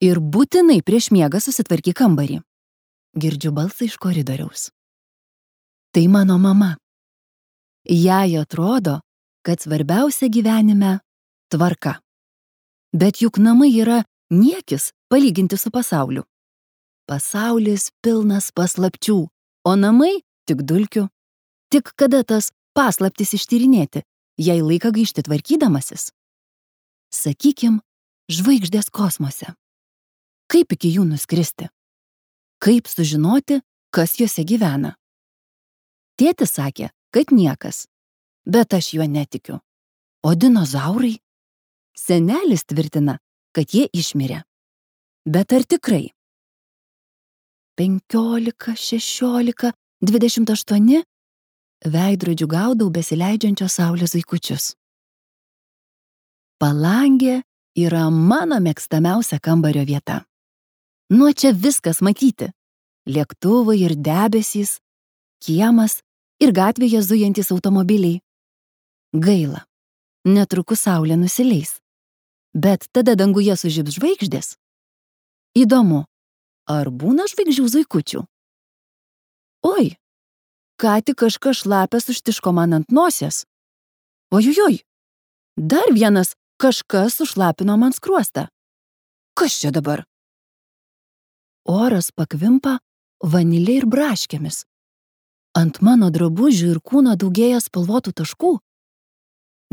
Ir būtinai prieš miegą susitvarkyk kambarį. Girdžiu balsą iš koridoriaus. Tai mano mama. Jai atrodo, kad svarbiausia gyvenime tvarka. Bet juk namai yra niekis palyginti su pasauliu. Pasaulis pilnas paslapčių, o namai tik dulkių. Tik kada tas paslaptis ištyrinėti, jei laiką gaišti tvarkydamasis? Sakykim, žvaigždės kosmose. Kaip iki jų nuskristi? Kaip sužinoti, kas jose gyvena? Tėtis sakė, kad niekas, bet aš juo netikiu. O dinozaurai? Senelis tvirtina, kad jie išmirė. Bet ar tikrai? 15, 16, 28 veidrodžių gaudau besileidžiančios saulės zuikučius. Palangė yra mano mėgstamiausia kambario vieta. Nuo čia viskas matyti. Lėktuvai ir debesys, kiemas ir gatvėje zujantys automobiliai. Gaila, netrukus saulė nusileis. Bet tada danguje sužibs žvaigždės. Įdomu, ar būna žvaigždžių zuikučių? Oi, ką tik kažkas šlapias užtiško man ant nosies. Ojojoj, dar vienas kažkas sušlapino man skruostą. Kas čia dabar? Oras pakvimpa vanilė ir braškėmis. Ant mano drabužių ir kūno daugėja spalvotų taškų.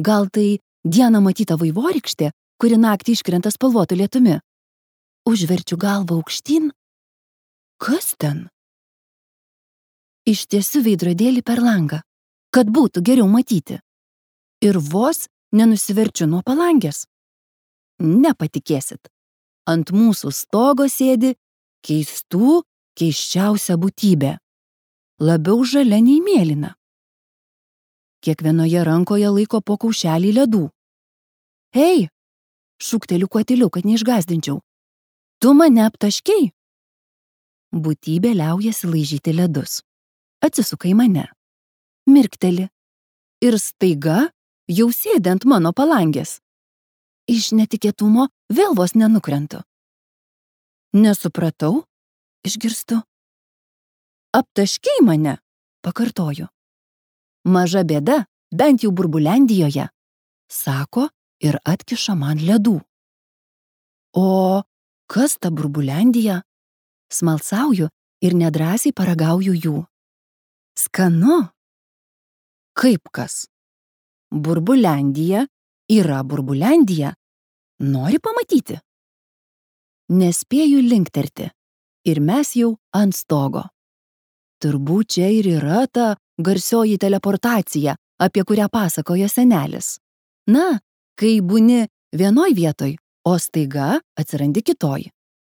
Gal tai dieną matyta vaivorykštė, kuri naktį iškrenta spalvotų lietumi. Užverčiu galvą aukštyn. Kas ten? Ištiesiu veidrodėlį per langą, kad būtų geriau matyti. Ir vos nenusiverčiu nuo palangės. Nepatikėsit. Ant mūsų stogo sėdi keisčiausia būtybė. Labiau žalia nei mėlyna. Kiekvienoje rankoje laiko po kaušelį ledų. Hei, šūkteliu kuoteliu, kad neišgąsdinčiau. Tu mane aptaškei? Būtybė liaujasi laižyti ledus. Atsisuka į mane. Mirkteli. Ir staiga jau sėdi ant mano palangės. Iš netikėtumo vėl vos nenukrentu. Nesupratau, išgirstu. Aptaškei mane, pakartoju. Maža bėda, bent jau Burbulendijoje, sako ir atkiša man ledų. O kas ta Burbulendija? Smalsauju ir nedrąsiai paragauju jų. Skanu. Kaip kas? Burbulendija yra Burbulendija. Nori pamatyti? Nespėju linkterti. Ir mes jau ant stogo. Turbūt čia ir yra ta garsioji teleportacija, apie kurią pasakojo senelis. Na, kai būni vienoj vietoj, o staiga atsirandi kitoj.